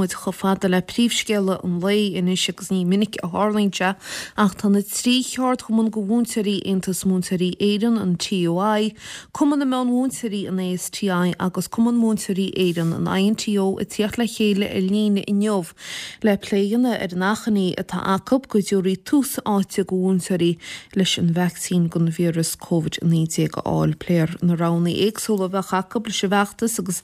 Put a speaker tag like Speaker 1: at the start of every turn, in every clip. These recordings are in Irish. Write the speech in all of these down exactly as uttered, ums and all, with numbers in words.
Speaker 1: muid chomh fada le príomhscéala an lae anois agus ní minic a tharlaíonn sé ach tá na trí cheardchumann do mhúinteoirí Aontas Múinteoirí Éireann an TUI, Cumann na Meánmhúinteoirí an ASTI agus Cumann Múinteoirí Éireann an INTO ag tíocht le chéile ar líne inniu le plé a dhéanamh ar an achainí atá acu go dtabharfaí tús áite do mhúinteoirí leis an vacsaín don víreas Covid naoi déag a fháil. Pléifear na roghanna éagsúla a bheadh acu leis an bhfeachtas agus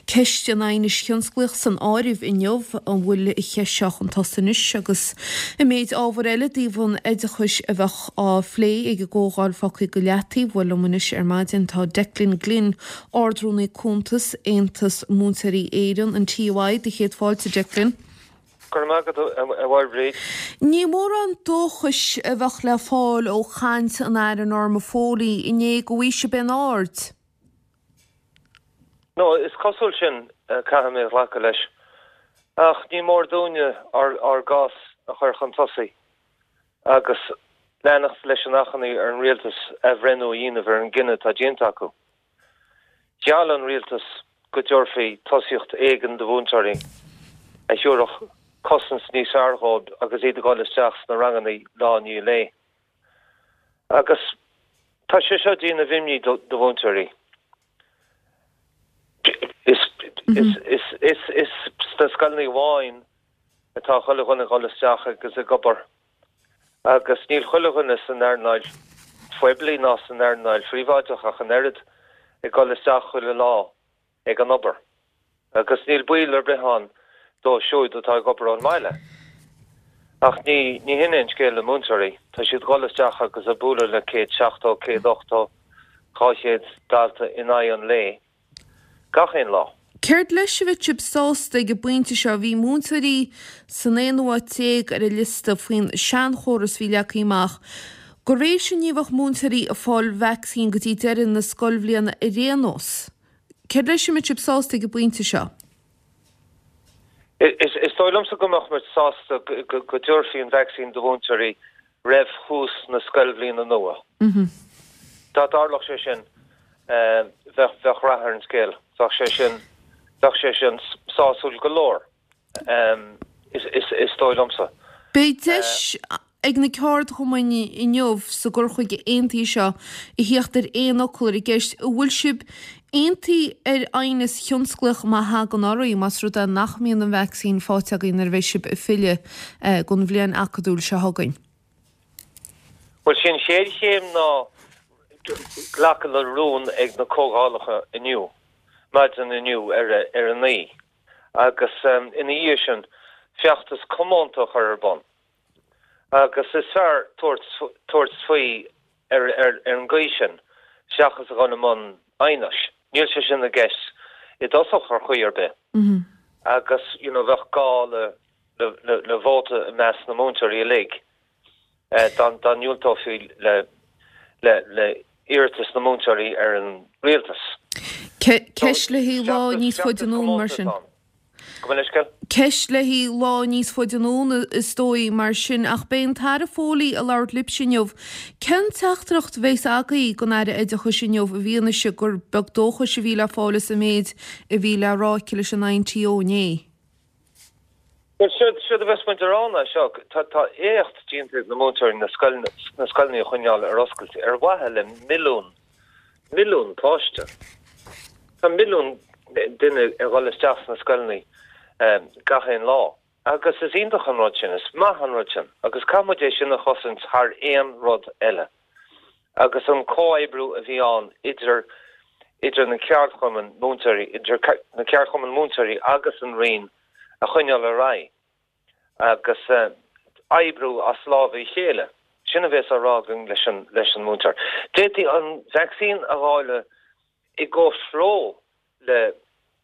Speaker 1: ceist an aighnis thionsclaíoch san áireamh inniu an bhfuil an cheist seo chun tosaigh anois agus an méid ábhar eile i dtaobh an oideachais a bheadh á phlé ag an gcomhdháil fágtha go leataobh. Bhuel liom anois ar maidin tá Declan Glynn, Ard-Rúnaí Cuntas, Aontas Múinteoirí Éireann, an TUI, do chéad fáilte Declan.
Speaker 2: Go raibh maith agat a Mháire.
Speaker 1: Ní mórán dóchais a bheadh le fáil ó chaint an Aire Norma Foley inné go bhfaighidh sibh aon aird.
Speaker 2: No, is cosúil sin caithfidh mé glacadh leis. Ach ní mór dúinne ár ár gcás a chur chun tosaigh agus leanacht leis an achainí ar an rialtas athbhreithniú a dhéanamh ar an gcinneadh atá déanta acu. Gheall an rialtas go dtabharfaí tosaíocht éigin do mhúinteoirí a thabharfadh cosaint níos fearr dóibh agus iad ag dul isteach sna ranganna lá i ndiaidh lae. Agus tá sé seo ag déanamh imní do mhúinteoirí. Is is is is is sna scoileanna amháin atá chuile dhuine ag dul isteach agus ag obair. Agus níl chuile dhuine san earnáil phoiblí ná san earnáil phríobháideach ach an oiread ag dul isteach chuile lá ag an obair. Agus níl baol ar bith ann dóibh siúd atá ag obair ón mbaile. Ach ní ní hin é an scéal le múinteoirí, tá siad ag dul isteach agus ag bualadh le céad seachtó, céad ochtó, dhá chéad dalta in aghaidh an lae, gach aon lá.
Speaker 1: Céard leis a bheadh sibh sásta ag an bpointe seo? Bhí múinteoirí san aonú háit déag ar an liosta faoin seanchóras a bhí leagtha amach. De réir sin ní bheadh múinteoirí ag fáil vacsaín go dtí deireadh na scoilbhliana ar aon nós. Céard leis a mbeadh sibh sásta ag an bpointe seo?
Speaker 2: Is is dóigh liomsa go mbeadh muid sásta go go dtabharfaí an vacsaín do mhúinteoirí roimh thús na scoilbhliana nua. Dá dtarlódh sé sin, bheadh bheadh rath ar an scéal. Bheadh sé sin bheadh sé sin sásúil go leor, is is is dóigh liomsa.
Speaker 1: Beidh deis ag na ceardchumainn inniu sa gcur chuige aontaithe seo a theacht ar aon fhocal ar an gceist an bhfuil sibh aontaithe ar aighneas thionsclaíoch má thagann oraibh, más rud é nach mbíonn an vacsaín faighte againn nuair a bheidh sibh ag filleadh don bhliain acadúil seo chugainn.
Speaker 2: Bhuel, sin chéad chéim ná glacadh le rún ag na comhdhálacha inniu, maidin inniu ar ar a naoi, agus ina dhiaidh sin feachtas comónta a chur ar bun. Agus is fearr tabhairt tabhairt faoi ar ar ar an gcaoi sin seachas a dhul i mbun aighnis. Níl sé sin i gceist i dtosach ar chaoi ar bith. Agus you know bheadh gá le le le vóta i measc na múinteoirí uilig dá dá ndiúltófaí le le le iarratas na múinteoirí ar an rialtas.
Speaker 1: Ceist le haghaidh lá níos faide anonn mar sin.
Speaker 2: Gabh mo leithscéal.
Speaker 1: Ceist le haghaidh lá níos faide anonn is dóigh mar sin, ach beidh an tAire Foley ag labhairt libhse inniu. Cén teachtaireacht a bheas agaibh don Aire Oideachais inniu i bhfianaise gur beag dóchais a bhí le fáil as an méid a bhí le rá aici leis an INTO inné?
Speaker 2: Bhuel, séard séard a bheas muid a rá ná seo, tá tá éacht déanta ag na múinteoirí na scoileanna na scoileanna a choinneáil ar oscailt ar mhaithe le milliún milliún páiste. Tá milliún duine ag dhul isteach sna scoileanna gach aon lá agus is iontach an rud sin, is maith an rud sin agus caithfidh muid é sin a chosaint thar aon rud eile. Agus an comhoibriú a bhí ann idir idir na ceardchumainn múinteoirí, idir na ceardchumainn múinteoirí agus an Roinn a choinneáil ar aghaidh agus oibriú as lámha a chéile. Sin a bheas á rá againn leis an leis an múinteoir. D'fhéadfaí an vacsaín a dháileadh i gcomhthreo le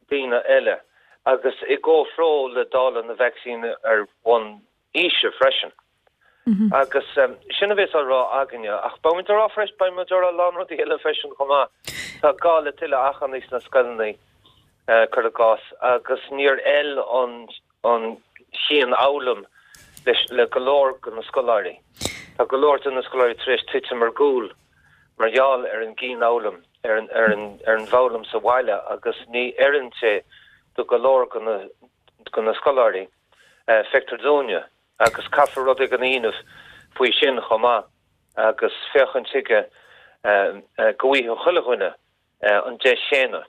Speaker 2: daoine eile agus i gcomhthreo le dáileadh na vacsaíne ar bhonn aoise freisin. Agus sin a bheas á rá againne. Ach beidh muid á rá freisin, beidh muid á rá a lán rudaí eile freisin chomh maith. Tá gá le tuilleadh achainí sna scoileanna, cuir i gcás, agus níor fheil an an chianfhoghlaim leis le go leor de na scoláirí. Tá go leor de na scoláirí tar éis titim ar gcúl mar gheall ar an gcianfhoghlaim, ar an ar an ar an bhfoghlaim sa bhaile agus ní oireann sé do go leor de na do na scoláirí, feictear dúinne, agus caithfear rud éigin a dhéanamh faoi sin chomh maith agus féachaint chuige go bhfaighidh chuile dhuine an deis chéanna.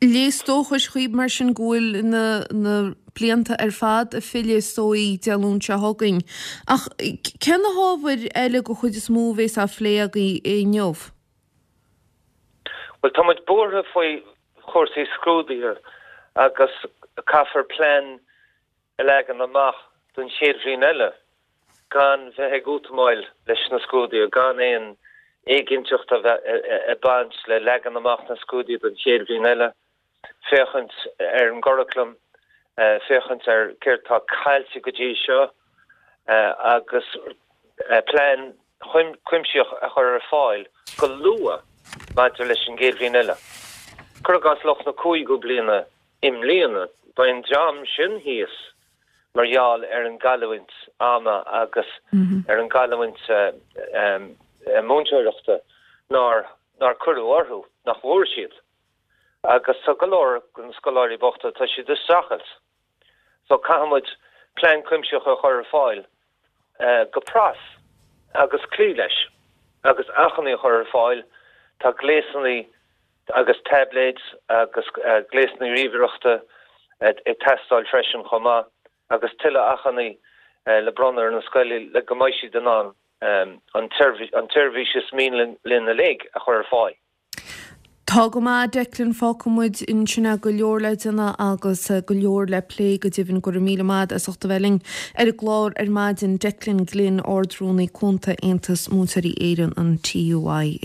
Speaker 1: Léas dóchais chuig mar sin go bhfuil na na blianta ar fad ag filleadh is dóigh Dé Luain seo chugainn. Ach cé na hábhair eile den chuid is mó a bheas á phlé agaibh inniu?
Speaker 2: Bhuel tá muid buartha faoi chúrsaí scrúduithe agus caithfear plean a leagan amach don chéad bhliain eile gan bheith ag útamáil leis na scrúduithe, gan aon éiginnteacht a bheith ag baint le leagan amach na scrúduithe don chéad bhliain eile, féachaint ar an gcuraclam, féachaint ar céard atá caillte go dtí seo agus plean cuimsitheach a chur ar fáil go luath maidir leis an gcéad bhliain eile. Cuir i gcás lucht na cúigiú bliana i mbliana, beidh an dream sin thíos mar gheall ar an gcailliúint ama agus ar an gcailliúint múinteoireachta nár nár cuireadh orthu, nach bhfuair siad. Agus tá go leor de na scoláirí bochta, tá siad ag streachailt. So caithfidh muid plean cuimsitheach a chur ar fáil go pras agus cloí leis agus acmhainní a chur ar fáil. Tá gléasanna agus taibléid agus gléasanna ríomhaireachta ag teastáil freisin chomh maith agus tuilleadh acmhainní le bronnadh ar na scoileanna le go mbeidh siad in ann an tseirbhís is mian linn uilig a chur ar fáil.
Speaker 1: Tá go maith, Declan, fágfaidh muid ansin é, go leor le déanamh agus go leor le plé go deimhin. Go raibh míle maith as ucht a bheith linn ar an gclár ar maidin, Declan Glynn, Ard-Rúnaí Cúnta Aontas Múinteoirí Éireann, an TUI.